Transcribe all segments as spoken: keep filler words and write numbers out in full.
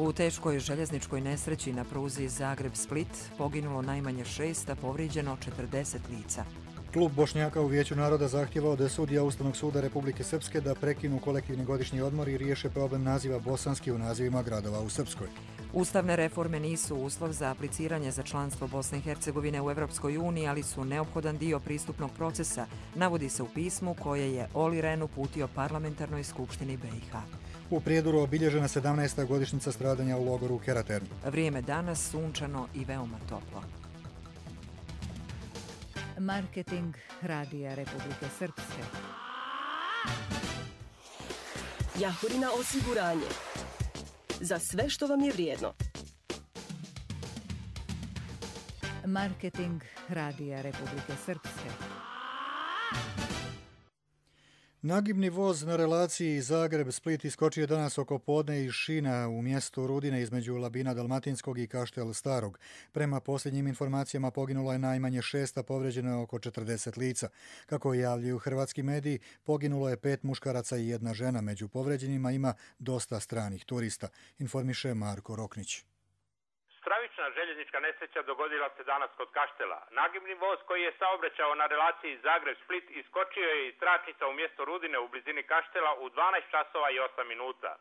U teškoj željezničkoj nesreći na pruzi Zagreb-Split poginulo najmanje šest, a povrijeđeno četrdeset lica. Klub Bošnjaka u Vijeću naroda zahtjevao da sudija Ustavnog suda Republike Srpske da prekinu kolektivni godišnji odmor i riješe problem naziva bosanski u nazivima gradova u Srpskoj. Ustavne reforme nisu uslov za apliciranje za članstvo Bosne i Hercegovine u Europskoj uniji, ali su neophodan dio pristupnog procesa, navodi se u pismu koje je Olli Rehn uputio Parlamentarnoj skupštini B i H. U Prijedoru obilježena sedamnaesta godišnjica stradanja u logoru Keraterni. Vrijeme danas sunčano i veoma toplo. Marketing Radija Republike Srpske. Jahorina osiguranje. Za sve što vam je vrijedno. Marketing Radija Republike Srpske. Nagibni voz na relaciji Zagreb-Split iskočio danas oko podne iz šina u mjestu Rudine između Labina Dalmatinskog i Kaštel Starog. Prema posljednjim informacijama poginulo je najmanje šest, a povrijeđeno je oko četrdeset lica. Kako javljaju hrvatski mediji, poginulo je pet muškaraca i jedna žena. Među povrijeđenima ima dosta stranih turista, informiše Marko Roknić. Stravična željeznička nesreća dogodila se danas kod Kaštela. Nagibni voz koji je saobraćao na relaciji Zagreb-Split iskočio je iz tračnica u mjesto Rudine u blizini Kaštela u dvanaest časova i osam minuta.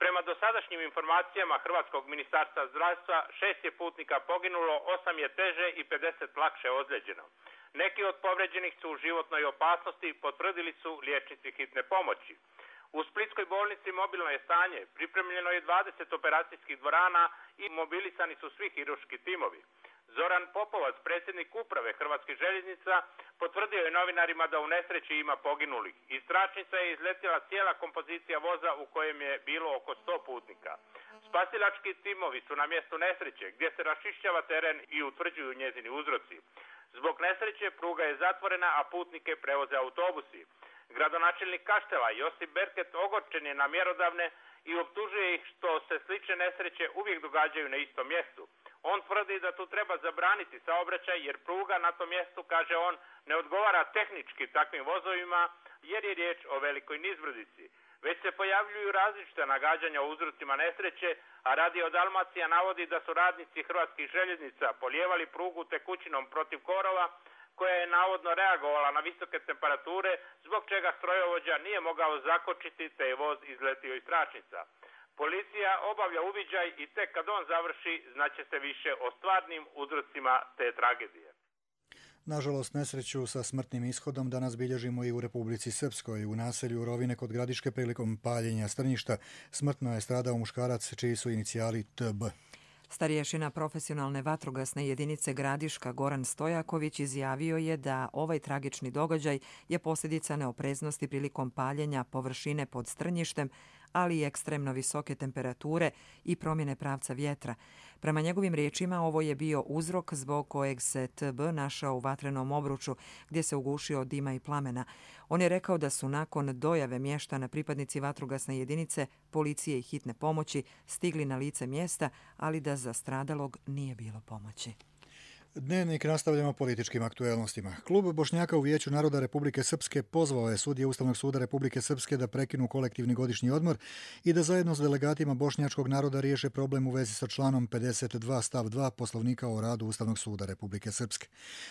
Prema dosadašnjim informacijama Hrvatskog ministarstva zdravstva, šest je putnika poginulo, osam je teže i pedeset lakše ozlijeđeno. Neki od povrijeđenih su u životnoj opasnosti, potvrdili su liječnici hitne pomoći. U Splitskoj bolnici mobilno je stanje, pripremljeno je dvadeset operacijskih dvorana i mobilisani su svi hirurški timovi. Zoran Popovac, predsjednik uprave Hrvatskih željeznica, potvrdio je novinarima da u nesreći ima poginulih. Iz tračnica je izletjela cijela kompozicija voza u kojem je bilo oko sto putnika. Spasilački timovi su na mjestu nesreće gdje se raščišćava teren i utvrđuju njezini uzroci. Zbog nesreće pruga je zatvorena, a putnike prevoze autobusi. Gradonačelnik Kaštela Josip Berket ogorčen je na mjerodavne i optužuje ih što se slične nesreće uvijek događaju na istom mjestu. On tvrdi da tu treba zabraniti saobraćaj jer pruga na tom mjestu, kaže on, ne odgovara tehnički takvim vozovima jer je riječ o velikoj nizbrdici. Već se pojavljuju različita nagađanja o uzrocima nesreće, a Radio Dalmacija navodi da su radnici Hrvatskih željeznica polijevali prugu tekućinom protiv korova, koja je navodno reagovala na visoke temperature, zbog čega strojovođa nije mogao zakočiti te je voz izletio iz tračnica. Policija obavlja uviđaj i tek kad on završi znaće se više o stvarnim uzrocima te tragedije. Nažalost, nesreću sa smrtnim ishodom danas bilježimo i u Republici Srpskoj. U naselju Rovine kod Gradiške prilikom paljenja strnjišta smrtno je stradao muškarac čiji su inicijali T B. Starješina profesionalne vatrogasne jedinice Gradiška Goran Stojaković izjavio je da ovaj tragični događaj je posljedica neopreznosti prilikom paljenja površine pod strnjištem, ali i ekstremno visoke temperature i promjene pravca vjetra. Prema njegovim riječima ovo je bio uzrok zbog kojeg se T B našao u vatrenom obruču gdje se ugušio od dima i plamena. On je rekao da su nakon dojave mještana pripadnici vatrogasne jedinice, policije i hitne pomoći stigli na lice mjesta, ali da za stradalog nije bilo pomoći. Dnevnik nastavljamo političkim aktuelnostima. Klub Bošnjaka u Vijeću naroda Republike Srpske pozvao je sudije Ustavnog suda Republike Srpske da prekinu kolektivni godišnji odmor i da zajedno s delegatima bošnjačkog naroda riješe problem u vezi sa članom pedeset dva stav dva Poslovnika o radu Ustavnog suda Republike Srpske.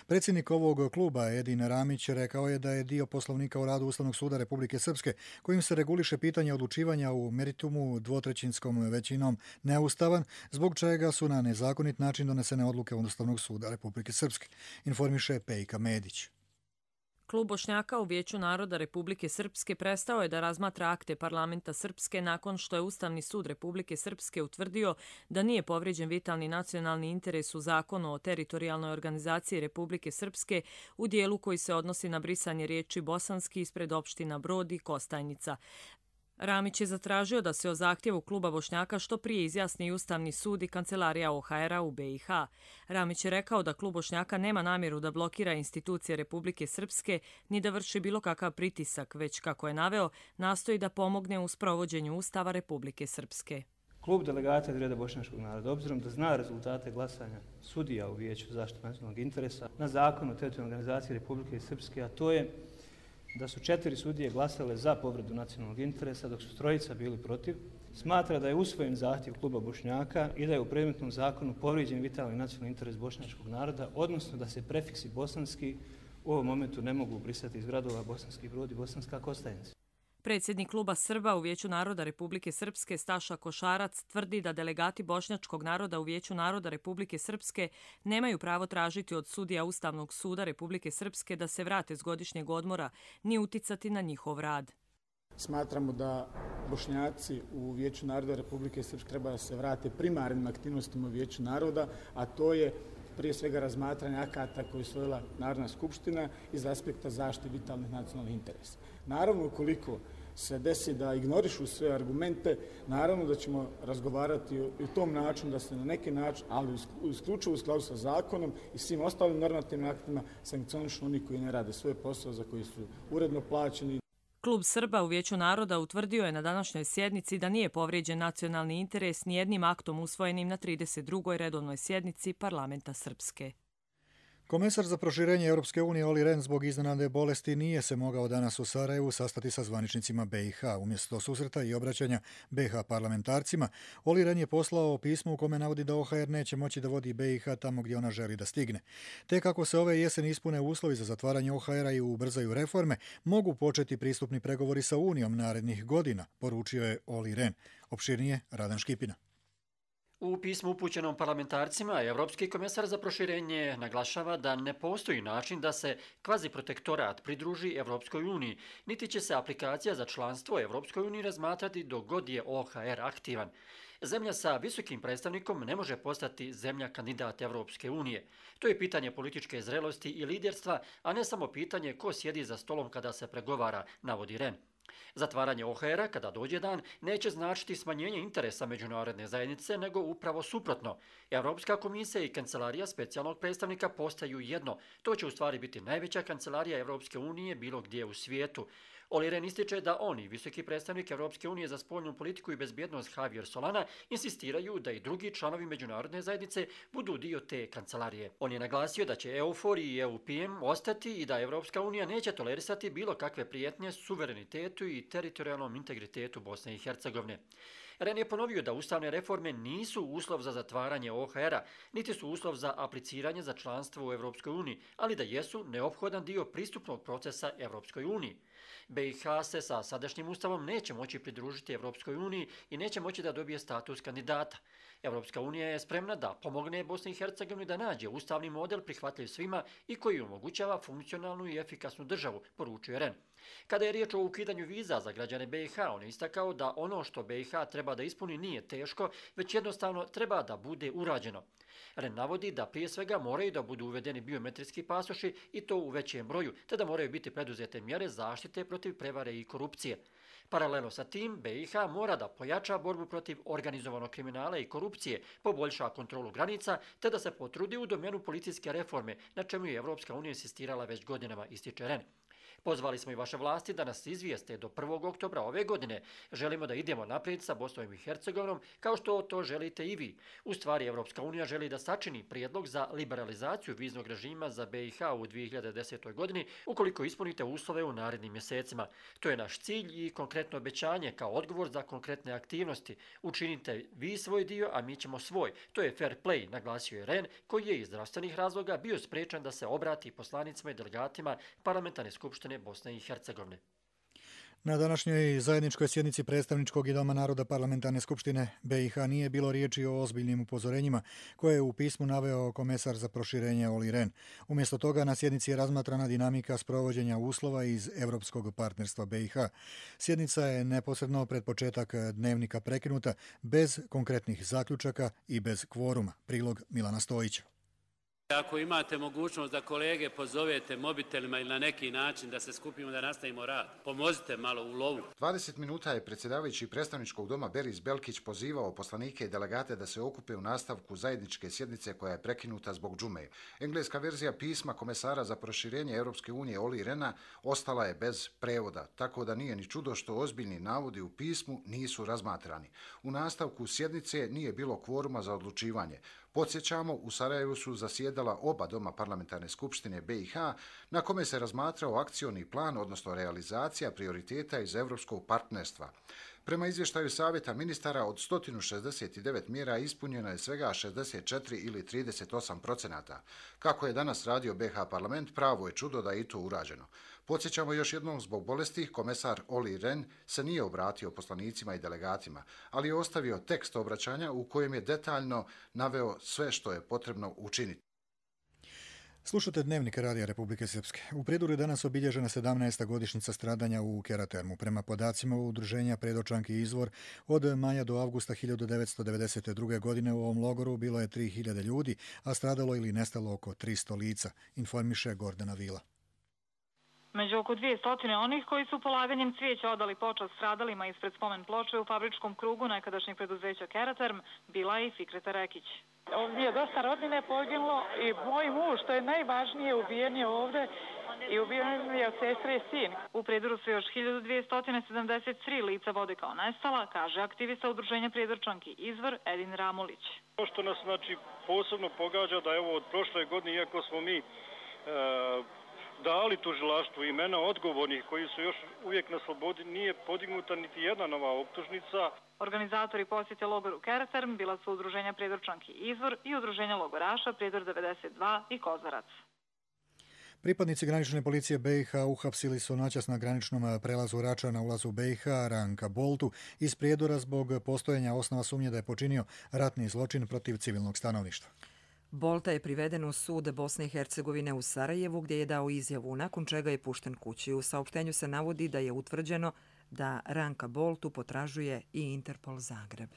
Predsjednik ovog kluba Edin Ramić rekao je da je dio Poslovnika o radu Ustavnog suda Republike Srpske kojim se reguliše pitanje odlučivanja u meritumu dvotrećinskom većinom neustavan, zbog čega su na nezakonit način donesene odluke Ustavnog suda Republike Srpske, informiše Pejka Medić. Klub Bošnjaka u Vijeću naroda Republike Srpske prestao je da razmatra akte parlamenta Srpske nakon što je Ustavni sud Republike Srpske utvrdio da nije povrijeđen vitalni nacionalni interes u zakonu o teritorijalnoj organizaciji Republike Srpske u dijelu koji se odnosi na brisanje riječi bosanski ispred opština Brod i Kostajnica. Ramić je zatražio da se o zahtjevu kluba Bošnjaka što prije izjasni i Ustavni sud i kancelarija O H R-a u B i H. Ramić je rekao da klub Bošnjaka nema namjeru da blokira institucije Republike Srpske ni da vrši bilo kakav pritisak, već, kako je naveo, nastoji da pomogne u sprovođenju Ustava Republike Srpske. Klub delegata iz reda bošnjačkog naroda, obzirom da zna rezultate glasanja sudija u Vijeću za zaštitu nacionalnog interesa na zakon o teritorijalnoj organizaciji Republike Srpske, a to je da su četiri sudije glasale za povredu nacionalnog interesa, dok su trojica bili protiv, smatra da je usvojen zahtjev kluba Bošnjaka i da je u predmetnom zakonu povrijeđen vitalni nacionalni interes bošnjačkog naroda, odnosno da se prefiksi bosanski u ovom momentu ne mogu brisati iz gradova Bosanski Brod i Bosanska Kostajnica. Predsjednik kluba Srba u Vijeću naroda Republike Srpske Staša Košarac tvrdi da delegati bošnjačkog naroda u Vijeću naroda Republike Srpske nemaju pravo tražiti od sudija Ustavnog suda Republike Srpske da se vrate s godišnjeg odmora ni uticati na njihov rad. Smatramo da Bošnjaci u Vijeću naroda Republike Srpske treba da se vrate primarnim aktivnostima u Vijeću naroda, a to je prije svega razmatranje akata koje je usvojila Narodna skupština iz aspekta zaštite vitalnih nacionalnih interesa. Naravno, ukoliko se desi da ignorišu sve argumente, naravno da ćemo razgovarati i u tom načinu da se na neki način, ali isključivo u skladu sa zakonom i svim ostalim normativnim aktima, sankcionišu oni koji ne rade svoj posao za koji su uredno plaćeni. Klub Srba u Vijeću naroda utvrdio je na današnjoj sjednici da nije povrijeđen nacionalni interes nijednim aktom usvojenim na trideset drugoj redovnoj sjednici Parlamenta Srpske. Komesar za proširenje Europske unije Olli Rehn zbog iznenadne bolesti nije se mogao danas u Sarajevu sastati sa zvaničnicima B i H. Umjesto susreta i obraćanja B i H parlamentarcima, Olli Rehn je poslao pismo u kome navodi da O H R neće moći da vodi B i H tamo gdje ona želi da stigne. Te kako se ove jeseni ispune uslovi za zatvaranje O H R-a i ubrzaju reforme, mogu početi pristupni pregovori sa Unijom narednih godina, poručio je Olli Rehn. Opširnije Radan Škipina. U pismu upućenom parlamentarcima, Evropski komesar za proširenje naglašava da ne postoji način da se kvaziprotektorat pridruži Evropskoj uniji, niti će se aplikacija za članstvo Evropskoj uniji razmatrati dok god je O H R aktivan. Zemlja sa visokim predstavnikom ne može postati zemlja kandidat Evropske unije. To je pitanje političke zrelosti i liderstva, a ne samo pitanje ko sjedi za stolom kada se pregovara, navodi Rehn. Zatvaranje O H R-a, kada dođe dan, neće značiti smanjenje interesa međunarodne zajednice, nego upravo suprotno. Evropska komisija i kancelarija specijalnog predstavnika postaju jedno. To će u stvari biti najveća kancelarija Evropske unije bilo gdje u svijetu. Olli Rehn ističe da oni, visoki predstavnik Evropske unije za spoljnu politiku i bezbjednost Javier Solana, insistiraju da i drugi članovi međunarodne zajednice budu dio te kancelarije. On je naglasio da će E U F O R i E U P M ostati i da Evropska unija neće tolerisati bilo kakve prijetnje suverenitetu i teritorijalnom integritetu Bosne i Hercegovine. Rehn je ponovio da ustavne reforme nisu uslov za zatvaranje O H R-a, niti su uslov za apliciranje za članstvo u Evropskoj uniji, ali da jesu neophodan dio pristupnog procesa Evropskoj uniji. B i H se sa sadašnjim ustavom neće moći pridružiti Evropskoj uniji i neće moći da dobije status kandidata. Evropska unija je spremna da pomogne Bosni i Hercegovini da nađe ustavni model prihvatljiv svima i koji omogućava funkcionalnu i efikasnu državu, poručuje Rehn. Kada je riječ o ukidanju viza za građane B i H, on je istakao da ono što B i H treba da ispuni nije teško, već jednostavno treba da bude urađeno. Rehn navodi da prije svega moraju da budu uvedeni biometrijski pasoši i to u većem broju, te da moraju biti preduzete mjere zaštite protiv prevare i korupcije. Paralelno sa tim, B i H mora da pojača borbu protiv organizovanog kriminala i korupcije, poboljša kontrolu granica, te da se potrudi u domenu policijske reforme, na čemu je Evropska unija insistirala već godinama, ističe Rehn. Pozvali smo i vaše vlasti da nas izvijeste do prvog oktobra ove godine. Želimo da idemo naprijed sa Bosnom i Hercegovinom kao što to želite i vi. U stvari, Evropska unija želi da sačini prijedlog za liberalizaciju viznog režima za B i H u dvije hiljade desetoj godini ukoliko ispunite uslove u narednim mjesecima. To je naš cilj i konkretno obećanje kao odgovor za konkretne aktivnosti. Učinite vi svoj dio, a mi ćemo svoj. To je fair play, naglasio je Rehn, koji je iz zdravstvenih razloga bio sprečan da se obrati poslanicima i delegatima parlamentarne skupštine Bosne i Hercegovine. Na današnjoj zajedničkoj sjednici predstavničkog i Doma naroda parlamentarne skupštine B i H nije bilo riječi o ozbiljnim upozorenjima koje je u pismu naveo komesar za proširenje Olli Rehn. Umjesto toga na sjednici je razmatrana dinamika sprovođenja uslova iz Europskog partnerstva B i H. Sjednica je neposredno pred početak dnevnika prekinuta bez konkretnih zaključaka i bez kvoruma. Prilog Milana Stojića. Ako imate mogućnost da kolege pozovete mobitelima ili na neki način da se skupimo da nastavimo rad, pomozite malo u lovu. dvadeset minuta je predsjedavajući predstavničkog doma Beris Belkić pozivao poslanike i delegate da se okupe u nastavku zajedničke sjednice koja je prekinuta zbog džume. Engleska verzija pisma komesara za proširenje Europske unije Olli Rehna ostala je bez prevoda, tako da nije ni čudo što ozbiljni navodi u pismu nisu razmatrani. U nastavku sjednice nije bilo kvoruma za odlučivanje. Podsjećamo, u Sarajevu su zasjedala oba doma parlamentarne skupštine B i H, na kome se razmatrao akcioni plan, odnosno realizacija prioriteta iz Evropskog partnerstva. Prema izvještaju Savjeta ministara od sto šezdeset devet mjera ispunjeno je svega šezdeset četiri ili trideset osam procenata. Kako je danas radio B H parlament, pravo je čudo da je i to urađeno. Podsjećamo još jednom, zbog bolesti, komesar Olli Rehn se nije obratio poslanicima i delegatima, ali je ostavio tekst obraćanja u kojem je detaljno naveo sve što je potrebno učiniti. Slušate Dnevnik Radija Republike Srpske. U Prijeduru je danas obilježena sedamnaesta godišnjica stradanja u Keratermu. Prema podacima udruženja Predočanki Izvor, od maja do avgusta hiljadu devetsto devedeset druge. godine u ovom logoru bilo je tri hiljade ljudi, a stradalo ili nestalo oko tristo lica, informiše Gordana Vila. Među oko dvjesto onih koji su polaganjem cvijeća odali počast stradalima ispred spomen ploče u fabričkom krugu nekadašnjeg preduzeća Keraterm bila je i Fikreta Rekić. Ovdje je dosta rodine poginulo i moj muž, što je najvažnije, ubijen je ovdje i ubijen je od sestre i sin. U Prijedoru su još hiljadu dvjesto sedamdeset tri lica vode kao nestala, kaže aktivista udruženja Prijedorčanki Izvor Edin Ramulić. To što nas znači posebno pogađa da je ovo od prošle godine, iako smo mi e, dali tužilaštvu imena odgovornih koji su još uvijek na slobodi, nije podignuta niti jedna nova optužnica. Organizatori posjete logoru Keraterm bila su udruženja Prijedorčanki Izvor i udruženja logoraša Prijedor devedeset dva i Kozarac. Pripadnici granične policije B i H uhapsili su noćas na graničnom prelazu Rača na ulazu B i H Ranka Boltu iz Prijedora zbog postojanja osnova sumnje da je počinio ratni zločin protiv civilnog stanovništva. Bolta je priveden u sud Bosne i Hercegovine u Sarajevu gdje je dao izjavu, nakon čega je pušten kući. U saopštenju se navodi da je utvrđeno da Ranka Boltu potražuje i Interpol Zagreb.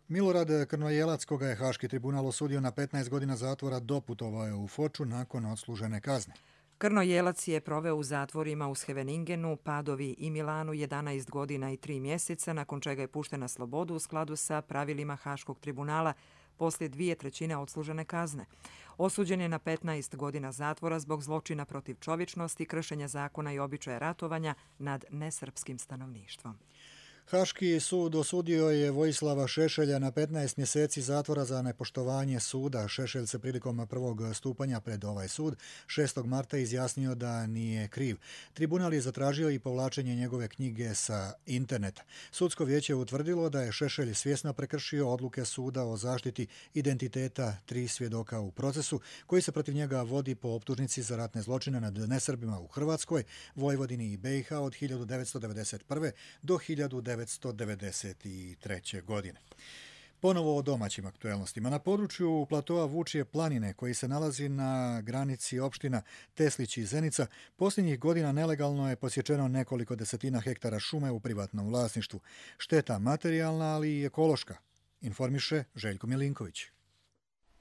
Milorad Krnojelac, koga je Haški tribunal osudio na petnaest godina zatvora, doputovao je u Foču nakon odslužene kazne. Krnojelac je proveo u zatvorima u Scheveningenu, Padovi i Milanu jedanaest godina i tri mjeseca, nakon čega je pušten na slobodu u skladu sa pravilima Haškog tribunala poslije dvije trećine odslužene kazne. Osuđen je na petnaest godina zatvora zbog zločina protiv čovječnosti, kršenja zakona i običaja ratovanja nad nesrpskim stanovništvom. Haški sud osudio je Vojislava Šešelja na petnaest mjeseci zatvora za nepoštovanje suda. Šešelj se prilikom prvog stupanja pred ovaj sud šestog marta izjasnio da nije kriv. Tribunal je zatražio i povlačenje njegove knjige sa interneta. Sudsko vijeće je utvrdilo da je Šešelj svjesno prekršio odluke suda o zaštiti identiteta tri svjedoka u procesu koji se protiv njega vodi po optužnici za ratne zločine nad nesrbima u Hrvatskoj, Vojvodini i B i H od hiljadu devetsto devedeset prve. do hiljadu devetsto devedeset treće. godine. Ponovo o domaćim aktuelnostima. Na području platoa Vučije planine, koji se nalazi na granici opština Teslić i Zenica, posljednjih godina nelegalno je posječeno nekoliko desetina hektara šume u privatnom vlasništvu. Šteta materijalna, ali i ekološka, informiše Željko Milinković.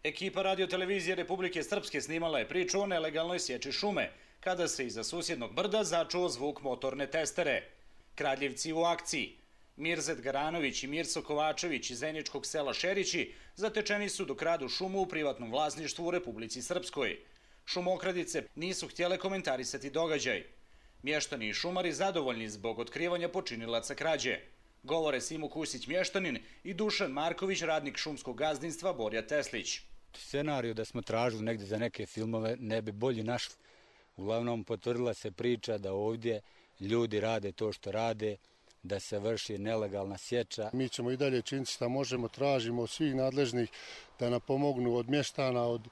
Ekipa radiotelevizije Republike Srpske snimala je priču o nelegalnoj sječi šume, kada se iza susjednog brda začuo zvuk motorne testere. Kradljevci u akciji. Mirzet Garanović i Mirso Kovačević iz zeničkog sela Šerići zatečeni su dok radu šumu u privatnom vlasništvu u Republici Srpskoj. Šumokradice nisu htjele komentarisati događaj. Mještani i šumari zadovoljni zbog otkrivanja počinilaca krađe. Govore Simo Kusić mještanin i Dušan Marković, radnik šumskog gazdinstva Borja Teslić. Scenariju da smo tražili negdje za neke filmove ne bi bolje našli. Uglavnom potvrdila se priča da ovdje ljudi rade to što rade, da se vrši nelegalna sječa. Mi ćemo i dalje činiti što možemo, tražimo od svih nadležnih da nam pomognu, od mještana, od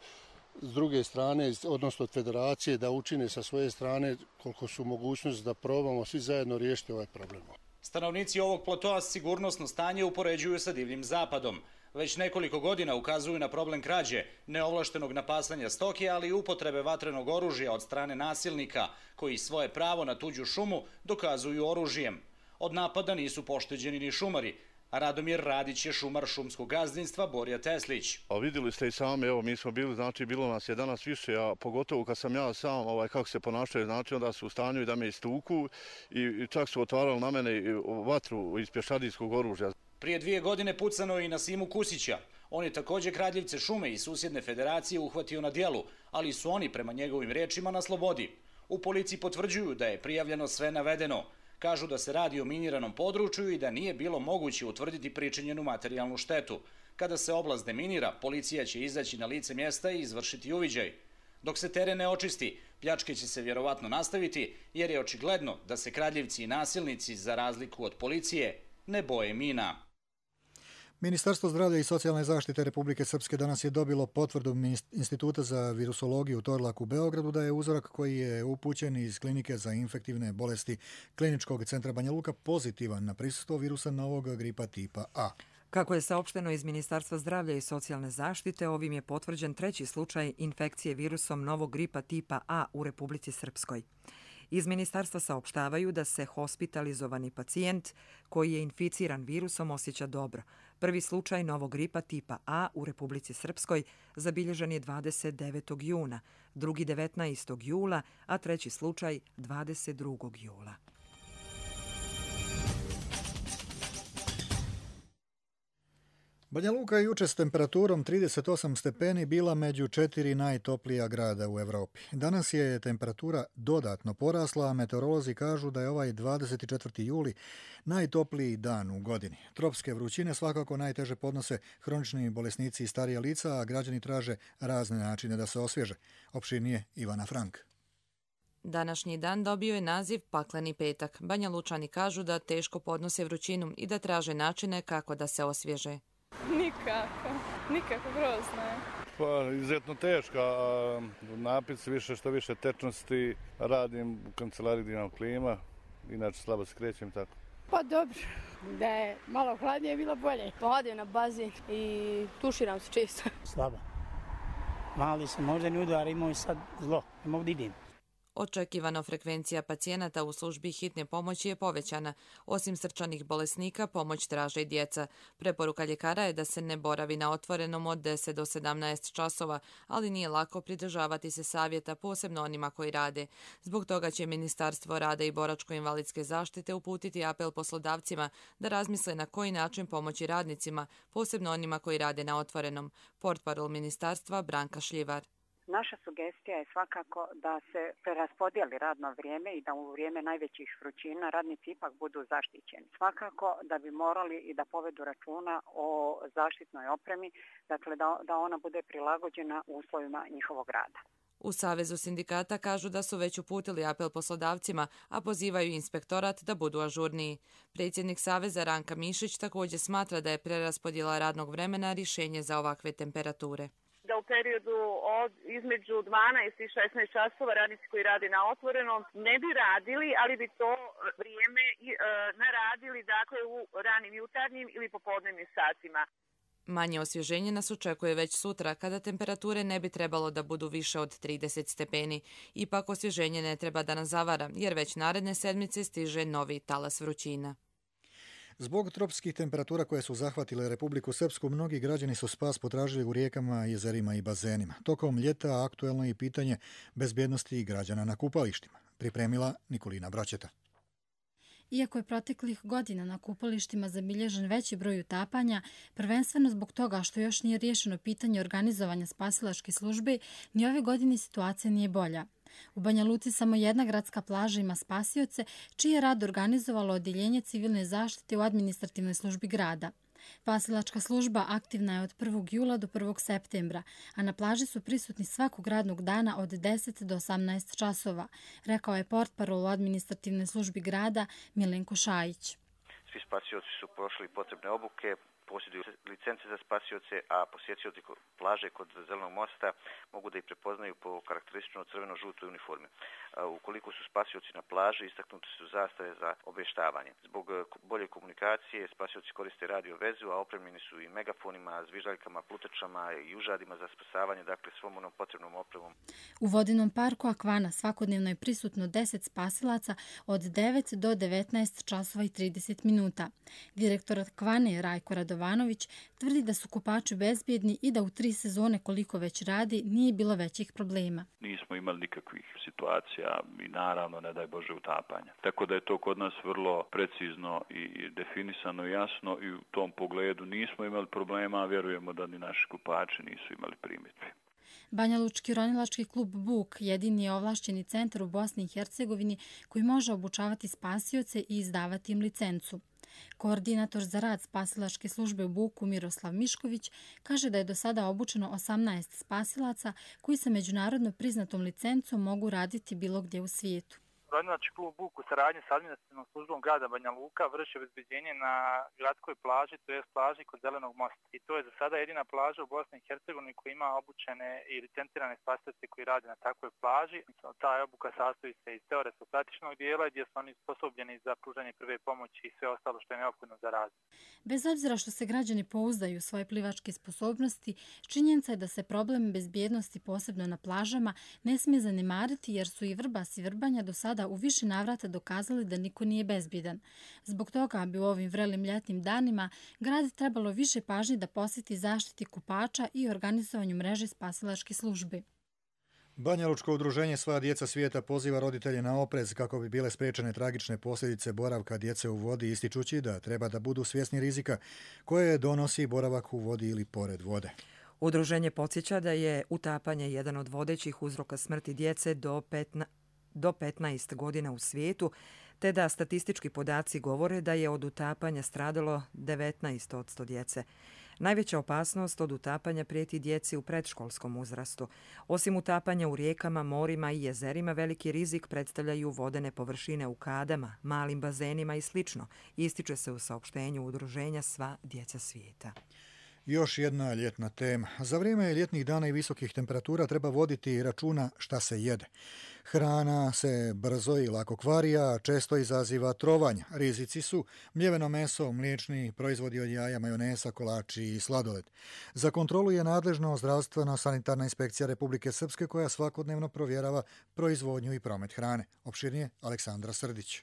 s druge strane, odnosno od federacije, da učine sa svoje strane koliko su mogućnosti da probamo svi zajedno riješiti ovaj problem. Stanovnici ovog platoa sigurnosno stanje upoređuju sa divljim zapadom. Već nekoliko godina ukazuju na problem krađe, neovlaštenog napasanja stoke, ali i upotrebe vatrenog oružja od strane nasilnika, koji svoje pravo na tuđu šumu dokazuju oružjem. Od napada nisu pošteđeni ni šumari, a Radomir Radić je šumar šumskog gazdinstva Borja Teslić. A vidjeli ste i sami, evo mi smo bili, znači bilo nas je danas više, a pogotovo kad sam ja sam, ovaj, kako se ponašaju, znači onda su u stanju i da me istuku i, i čak su otvarali na mene vatru iz pješadijskog oružja. Prije dvije godine pucano je i na Simu Kusića. On je također kradljivce šume i susjedne federacije uhvatio na dijelu, ali su oni prema njegovim riječima na slobodi. U policiji potvrđuju da je prijavljeno sve navedeno. Kažu da se radi o miniranom području i da nije bilo moguće utvrditi pričinjenu materijalnu štetu. Kada se oblast deminira, policija će izaći na lice mjesta i izvršiti uviđaj. Dok se teren ne očisti, pljačke će se vjerovatno nastaviti, jer je očigledno da se kradljivci i nasilnici, za razliku od policije, ne boje mina. Ministarstvo zdravlja i socijalne zaštite Republike Srpske danas je dobilo potvrdu Instituta za virusologiju Torlak u Beogradu da je uzorak koji je upućen iz klinike za infektivne bolesti Kliničkog centra Banja Luka pozitivan na prisustvo virusa novog gripa tipa A. Kako je saopšteno iz Ministarstva zdravlja i socijalne zaštite, ovim je potvrđen treći slučaj infekcije virusom novog gripa tipa A u Republici Srpskoj. Iz ministarstva saopštavaju da se hospitalizovani pacijent koji je inficiran virusom osjeća dobro. Prvi slučaj novog gripa tipa A u Republici Srpskoj zabilježen je dvadeset devetog juna, drugi devetnaestog jula, a treći slučaj dvadeset drugog jula. Banja Luka je juče s temperaturom trideset osam stepeni bila među četiri najtoplija grada u Evropi. Danas je temperatura dodatno porasla, a meteorolozi kažu da je ovaj dvadeset četvrti juli najtopliji dan u godini. Tropske vrućine svakako najteže podnose hronični bolesnici i starija lica, a građani traže razne načine da se osvježe. Opširnije Ivana Frank. Današnji dan dobio je naziv Pakleni petak. Banja Lučani kažu da teško podnose vrućinu i da traže načine kako da se osvježe. Nikako, nikako grozno je. Pa, izuzetno teška, napit više što više tečnosti, radim u kancelariji gdje imam klima, inače slabo se krećem tako. Pa dobro, da je malo hladnije bilo bolje. Pohodim na bazi i tuširam se često. Slabo. Mali sam moždani udar, imao i sad zlo, ne mogu da idem. Očekivano frekvencija pacijenata u službi hitne pomoći je povećana. Osim srčanih bolesnika, pomoć traže i djeca. Preporuka ljekara je da se ne boravi na otvorenom od deset do sedamnaest časova, ali nije lako pridržavati se savjeta, posebno onima koji rade. Zbog toga će Ministarstvo rada i boračko-invalidske zaštite uputiti apel poslodavcima da razmisle na koji način pomoći radnicima, posebno onima koji rade na otvorenom. Portparol ministarstva Branka Šljivar. Naša sugestija je svakako da se preraspodijeli radno vrijeme i da u vrijeme najvećih vrućina radnici ipak budu zaštićeni. Svakako da bi morali i da povedu računa o zaštitnoj opremi, dakle da, da ona bude prilagođena uslovima njihovog rada. U Savezu sindikata kažu da su već uputili apel poslodavcima, a pozivaju inspektorat da budu ažurniji. Predsjednik Saveza Ranka Mišić također smatra da je preraspodjela radnog vremena rješenje za ovakve temperature. Da u periodu od između dvanaest i šesnaest časova radnici koji rade na otvorenom ne bi radili, ali bi to vrijeme e, naradili dakle u ranim jutarnjim ili popodnevnim satima. Manje osvježenje nas očekuje već sutra, kada temperature ne bi trebalo da budu više od trideset stepeni. Ipak osvježenje ne treba da nas zavara, jer već naredne sedmice stiže novi talas vrućina. Zbog tropskih temperatura koje su zahvatile Republiku Srpsku, mnogi građani su spas potražili u rijekama, jezerima i bazenima. Tokom ljeta aktuelno je pitanje bezbjednosti građana na kupalištima. Pripremila Nikolina Braćeta. Iako je proteklih godina na kupalištima zabilježen veći broj utapanja, prvenstveno zbog toga što još nije riješeno pitanje organizovanja spasilačke službe, ni ove godine situacija nije bolja. U Banja Luci samo jedna gradska plaža ima spasioce, čiji je rad organizovalo odjeljenje civilne zaštite u administrativnoj službi grada. Spasilačka služba aktivna je od prvog jula do prvog septembra, a na plaži su prisutni svakog radnog dana od deset do osamnaest časova, rekao je portparol u administrativnoj službi grada Milenko Šajić. Svi spasioci su prošli potrebne obuke, posjeduju licence za spasioce, a posjetioci plaže kod Zelenog mosta mogu da ih prepoznaju po karakteristično crveno-žutoj uniformi. Ukoliko su spasioci na plaži, istaknuti su zastave za obještavanje. Zbog bolje komunikacije spasioci koriste radio vezu, a opremljeni su i megafonima, zviždaljkama, plutačama i užadima za spasavanje, dakle svom onom potrebnom opremom. U vodinom parku Akvana svakodnevno je prisutno deset spasilaca od devet do devetnaest časova i trideset minuta. Direktor Akvane Rajko Radovanović tvrdi da su kupači bezbjedni i da u tri sezone koliko već radi nije bilo većih problema. Nismo imali nikakvih situacija i naravno ne daj Bože utapanja. Tako da je to kod nas vrlo precizno i definisano jasno i u tom pogledu nismo imali problema, a vjerujemo da ni naši kupači nisu imali primjedbi. Banja Lučki ronilački klub Buk jedini je ovlašćeni centar u Bosni i Hercegovini koji može obučavati spasioce i izdavati im licencu. Koordinator za rad spasilačke službe u Buku Miroslav Mišković kaže da je do sada obučeno osamnaest spasilaca koji sa međunarodno priznatom licencom mogu raditi bilo gdje u svijetu. Znači, klub Buk u saradnji sa administrativnom službom grada Banja Luka vrši obezbeđenje na gradskoj plaži, to je plaži kod Zelenog mosta. I to je za sada jedina plaža u Bosni i Hercegovini koja ima obučene i licencirane spasitelje koji rade na takvoj plaži. Ta obuka sastoji se iz teoretskog praktičnog dijela gdje su oni sposobljeni za pružanje prve pomoći i sve ostalo što je neophodno za razvoj. Bez obzira što se građani pouzdaju u svoje plivačke sposobnosti, činjenica je da se problem bezbjednosti posebno na plažama ne smije zanemariti jer su i Vrbas i Vrbanja do sada u više navrata dokazali da niko nije bezbjedan. Zbog toga bi u ovim vrelim ljetnim danima grad trebalo više pažnje da posveti zaštiti kupača i organizovanju mreže spasilačke službe. Banjalučko udruženje Sva djeca svijeta poziva roditelje na oprez kako bi bile spriječene tragične posljedice boravka djece u vodi, ističući da treba da budu svjesni rizika koje donosi boravak u vodi ili pored vode. Udruženje podsjeća da je utapanje jedan od vodećih uzroka smrti djece do petnaest do petnaest godina u svijetu, te da statistički podaci govore da je od utapanja stradalo devetnaest posto djece. Najveća opasnost od utapanja prijeti djeci u predškolskom uzrastu. Osim utapanja u rijekama, morima i jezerima, veliki rizik predstavljaju vodene površine u kadama, malim bazenima i sl. Ističe se u saopštenju udruženja Sva djeca svijeta. Još jedna ljetna tema. Za vrijeme ljetnih dana i visokih temperatura treba voditi računa šta se jede. Hrana se brzo i lako kvari, a često izaziva trovanja. Rizici su mljeveno meso, mliječni proizvodi od jaja, majonesa, kolači i sladoled. Za kontrolu je nadležno zdravstvena sanitarna inspekcija Republike Srpske koja svakodnevno provjerava proizvodnju i promet hrane. Opširnije Aleksandra Srdić.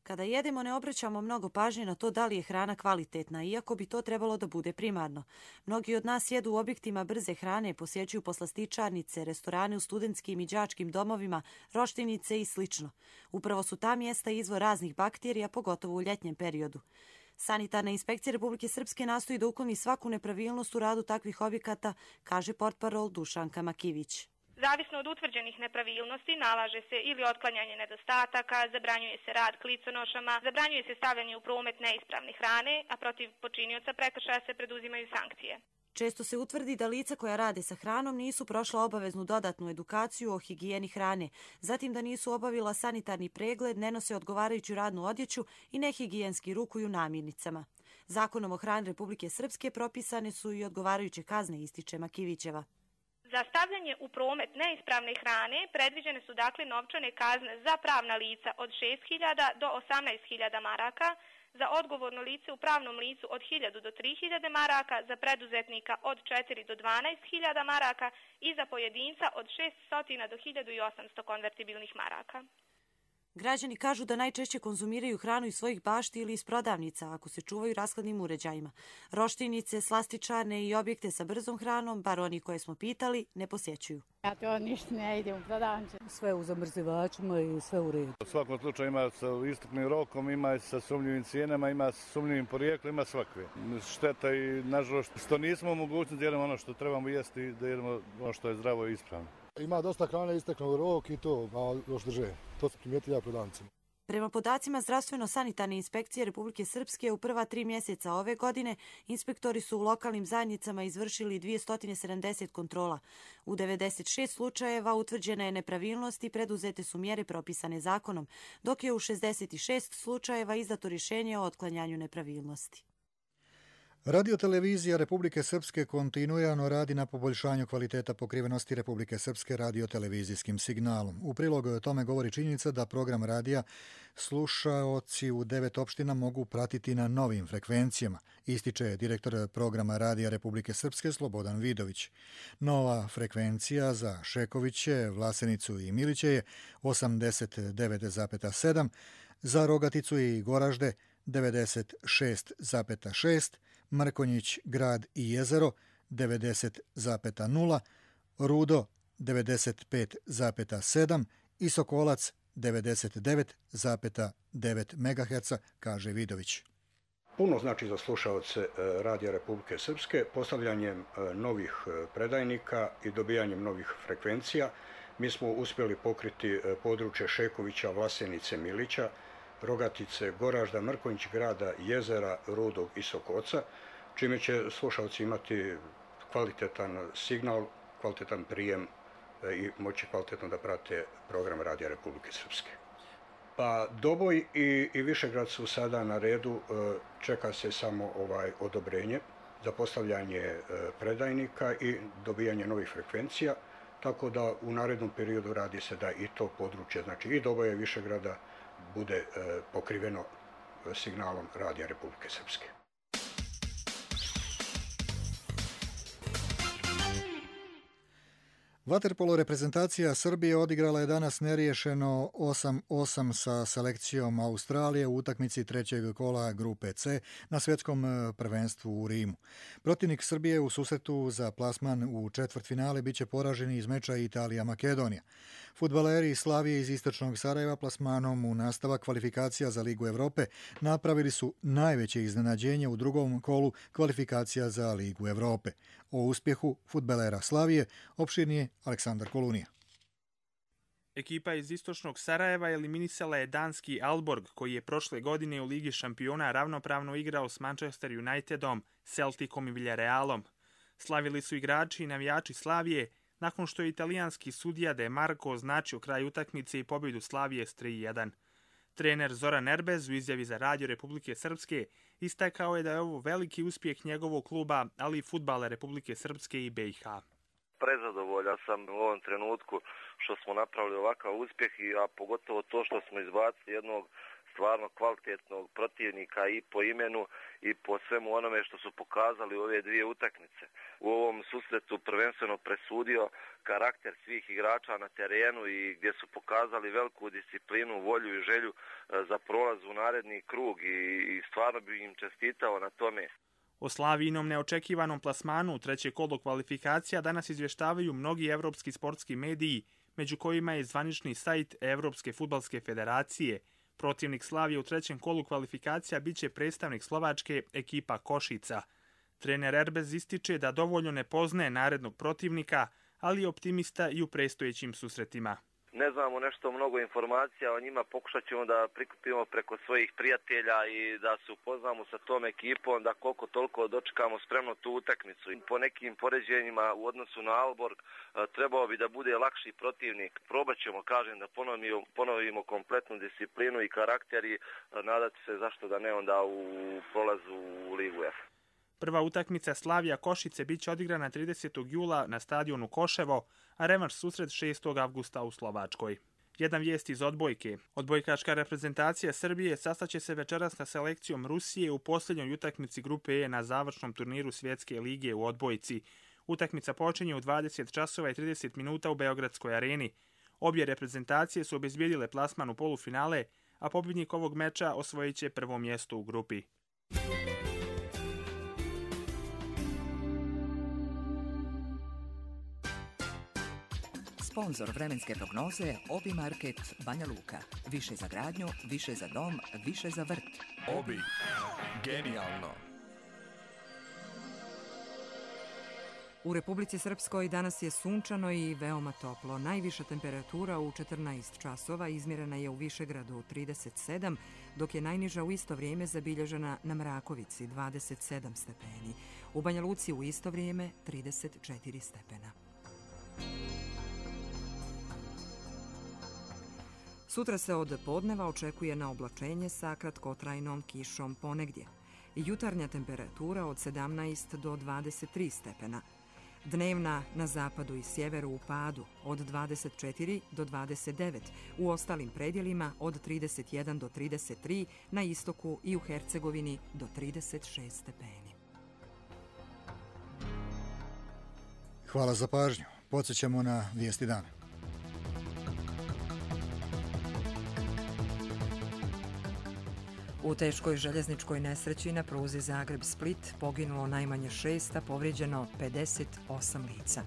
Kada jedemo ne obraćamo mnogo pažnje na to da li je hrana kvalitetna, iako bi to trebalo da bude primarno. Mnogi od nas jedu u objektima brze hrane, posjećuju poslastičarnice, restorane u studentskim i đačkim domovima, roštinice i sl. Upravo su ta mjesta izvor raznih bakterija, pogotovo u ljetnjem periodu. Sanitarna inspekcija Republike Srpske nastoji da ukloni svaku nepravilnost u radu takvih objekata, kaže portparol Dušanka Makivić. Zavisno od utvrđenih nepravilnosti nalaže se ili otklanjanje nedostataka, zabranjuje se rad kliconošama, zabranjuje se stavljanje u promet neispravne hrane, a protiv počinioca prekršaja se preduzimaju sankcije. Često se utvrdi da lica koja rade sa hranom nisu prošla obaveznu dodatnu edukaciju o higijeni hrane, zatim da nisu obavila sanitarni pregled, ne nose odgovarajuću radnu odjeću i nehigijenski rukuju namirnicama. Zakonom o hrani Republike Srpske propisane su i odgovarajuće kazne, ističe Makivićeva. Za stavljanje u promet neispravne hrane predviđene su dakle novčane kazne za pravna lica od šest hiljada do osamnaest hiljada maraka, za odgovorno lice u pravnom licu od hiljadu do tri hiljade maraka, za preduzetnika od četiri do dvanaest hiljada maraka i za pojedinca od šeststo do hiljadu osamsto konvertibilnih maraka. Građani kažu da najčešće konzumiraju hranu iz svojih bašti ili iz prodavnica ako se čuvaju rashladnim uređajima. Roštinice, slastičarne i objekte sa brzom hranom, bar oni koje smo pitali, ne posjećuju. Ja to ništa ne idem u prodavnice. Sve u zamrzivačima i sve u redu. U svakom slučaju ima sa istupnim rokom, ima sa sumnjivim cijenama, ima sa sumnjivim porijeklom, ima svakve. Šteta i nažalost što nismo mogućni da jedemo ono što trebamo jesti, da jedemo ono što je zdravo i ispravno. Ima dosta hrane isteknuo rok i to, a još drže. To se primijeti ja prodavnicima. Prema podacima Zdravstveno-sanitarne inspekcije Republike Srpske u prva tri mjeseca ove godine inspektori su u lokalnim zajednicama izvršili dvjesto sedamdeset kontrola. U devedeset šest slučajeva utvrđena je nepravilnost i preduzete su mjere propisane zakonom, dok je u šezdeset šest slučajeva izdato rješenje o otklanjanju nepravilnosti. Radiotelevizija Republike Srpske kontinuirano radi na poboljšanju kvaliteta pokrivenosti Republike Srpske radiotelevizijskim signalom. U prilog tome govori činjenica da program radija slušaoci u devet opština mogu pratiti na novim frekvencijama, ističe direktor programa radija Republike Srpske Slobodan Vidović. Nova frekvencija za Šekoviće, Vlasenicu i Miliće je osamdeset devet zarez sedam, za Rogaticu i Goražde devedeset šest zarez šest, Mrkonjić, Grad i Jezero devedeset zarez nula, Rudo devedeset pet zarez sedam i Sokolac devedeset devet zarez devet megaherca, kaže Vidović. Puno znači za slušaoce Radija Republike Srpske postavljanjem novih predajnika i dobijanjem novih frekvencija. Mi smo uspjeli pokriti područje Šekovića, Vlasenice, Milića, Rogatice, Goražda, Mrkonjić, Grada, Jezera, Rudog i Sokoca, čime će slušalci imati kvalitetan signal, kvalitetan prijem i moći kvalitetno da prate program Radija Republike Srpske. Pa Doboj i, i Višegrad su sada na redu, čeka se samo ovaj odobrenje za postavljanje predajnika i dobijanje novih frekvencija, tako da u narednom periodu radi se da i to područje, znači i Doboja i Višegrada, bude pokriveno signalom Radija Republike Srpske. Vaterpolo reprezentacija Srbije odigrala je danas neriješeno osam osam sa selekcijom Australije u utakmici trećeg kola grupe C na svjetskom prvenstvu u Rimu. Protivnik Srbije u susretu za plasman u četvrtfinale biće poraženi iz meča Italija-Makedonija. Fudbaleri Slavije iz istočnog Sarajeva plasmanom u nastavak kvalifikacija za Ligu Evrope napravili su najveće iznenađenje u drugom kolu kvalifikacija za Ligu Evrope. O uspjehu fudbalera Slavije opširnije Aleksandar Kolunija. Ekipa iz istočnog Sarajeva eliminisala je danski Aalborg, koji je prošle godine u Ligi šampiona ravnopravno igrao s Manchester Unitedom, Celticom i Villarealom. Slavili su igrači i navijači Slavije, nakon što je italijanski sudija De Marco označio kraj utakmice i pobjedu Slavije s tri jedan. Trener Zoran Erbez u izjavi za Radio Republike Srpske istakao je da je ovo veliki uspjeh njegovog kluba, ali i fudbala Republike Srpske i B i H. Prezadovoljan sam u ovom trenutku što smo napravili ovakav uspjeh, a pogotovo to što smo izbacili jednog stvarno kvalitetnog protivnika i po imenu i po svemu onome što su pokazali u ove dvije utakmice. U ovom susretu prvenstveno presudio karakter svih igrača na terenu i gdje su pokazali veliku disciplinu, volju i želju za prolaz u naredni krug i stvarno bi im čestitao na tome. O Slavijinom neočekivanom plasmanu u treće kolo kvalifikacija danas izvještavaju mnogi evropski sportski mediji, među kojima je zvanični sajt Evropske fudbalske federacije. Protivnik Slavije u trećem kolu kvalifikacija biće predstavnik Slovačke, ekipa Košica. Trener Erbez ističe da dovoljno ne poznaje narednog protivnika, ali je optimista i u predstojećim susretima. Ne znamo nešto mnogo informacija o njima, pokušat ćemo da prikupimo preko svojih prijatelja i da se upoznamo sa tom ekipom, da koliko toliko dočekamo spremno tu utakmicu. Po nekim poređenjima u odnosu na Aalborg trebao bi da bude lakši protivnik. Probat ćemo, kažem, da ponovimo, ponovimo kompletnu disciplinu i karakter i nadati se zašto da ne onda u prolazu u Ligu F. Prva utakmica Slavija Košice biće odigrana tridesetog jula na stadionu Koševo, a revanš susret šestog avgusta u Slovačkoj. Jedan vijest iz odbojke. Odbojkaška reprezentacija Srbije sastaće se večeras sa selekcijom Rusije u posljednjoj utakmici grupe E na završnom turniru Svjetske lige u odbojci. Utakmica počinje u dvadeset časova i trideset minuta u Beogradskoj areni. Obje reprezentacije su obezbijedile plasman u polufinale, a pobjednik ovog meča osvojit će prvo mjesto u grupi. Sponzor vremenske prognoze Obi Market Banja Luka. Više za gradnju, više za dom, više za vrt. Obi. Genijalno. U Republici Srpskoj danas je sunčano i veoma toplo. Najviša temperatura u četrnaest časova izmjerena je u Višegradu trideset sedam, dok je najniža u isto vrijeme zabilježena na Mrakovici dvadeset sedam stepeni. U Banja Luci u isto vrijeme trideset četiri stepena. Sutra se od podneva očekuje na oblačenje sa kratkotrajnom kišom ponegdje. Jutarnja temperatura od sedamnaest do dvadeset tri stepena. Dnevna na zapadu i sjeveru u padu od dvadeset četiri do dvadeset devet, u ostalim predjelima od trideset jedan do trideset tri, na istoku i u Hercegovini do trideset šest stepeni. Hvala za pažnju. Podsjećamo na vijesti dana. U teškoj željezničkoj nesreći na pruzi Zagreb-Split poginulo najmanje šest, a povrijeđeno pedeset osam lica.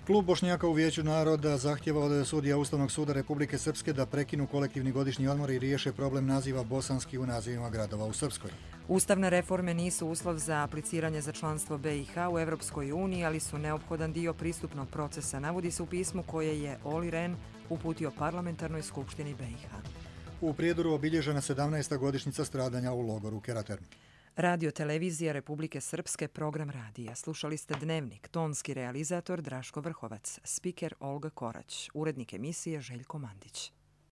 Klub Bošnjaka u Vijeću naroda zahtjeva od sudija Ustavnog suda Republike Srpske da prekinu kolektivni godišnji odmor i riješe problem naziva bosanski u nazivima gradova u Srpskoj. Ustavne reforme nisu uslov za apliciranje za članstvo B i H u Evropskoj uniji, ali su neophodan dio pristupnog procesa, navodi se u pismu koje je Oli Rehn uputio parlamentarnoj skupštini B i H. U Prijedoru obilježena sedamnaesta godišnjica stradanja u logoru Keratermi. Radio Televizija Republike Srpske, program radija. Slušali ste Dnevnik, tonski realizator Draško Vrhovac, spiker Olga Korać, urednik emisije Željko Mandić.